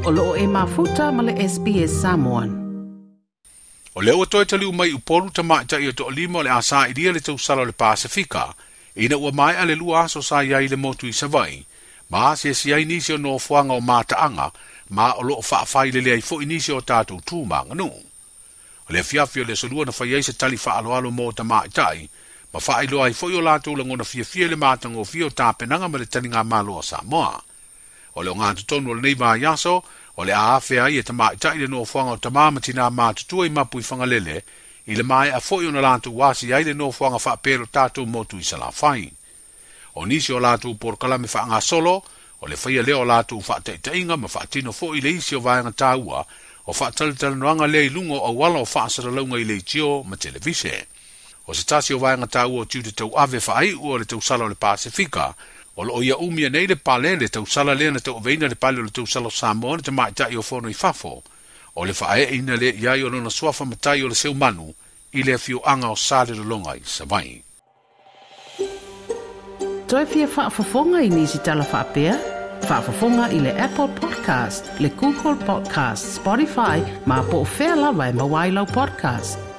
O loo e mafuta ma le SBS Samoan. O lea ua toe taliu mai i Upolu tamaitai e toalima o le a sailia le tausala o le Pasefika, ina ua maea le 2 aso sa i ai i le motu i Savaii, ma asiasi ai nisi o nofoaga o mataaga, ma o loo faafailele ai foi nisi o tatou tu ma aganuu. O le afiafi o le aso Lua na fai ai se tali faaaloalo mo tamaitai, ma faailoa ai foi o latou lagona fiafia i le matagofie o tapenaga ma le taligamalo a Samoa. O le ogatotonu o lenei vaiaso, o le a afea ai e tamaitai le nofoaga o tama ma tinā matutua i mapu i Fagalele, i le maea foi ona latou asi ai le nofoaga faapea o tatou motu i Salafai. O nisi o latou polokalame faagasolo, o le faia lea o latou faataitaiga ma faatino foi le isi o vaega taua o faatalatalanoaga lea i luga o auala o faasalalauga i leitio ma televise. O se tasi o vaega taua o tiute tauave faaiu o le tausala o le Pasefika, o loo ia umia nei le pale le tausala lea na tauaveina le pale o le tausala o Samoa na tamaitai o fono i fafo, o le faaeeina lea i ai o lona suafa matai o le Seumanu i le afioaga o Salelologa i Savaii. Toe fia faafofoga i nisi tala faapea? Faafofoga i le Apple Podcast, le Google Podcast, Spotify, ma po o fea lava e maua ai lau podcast.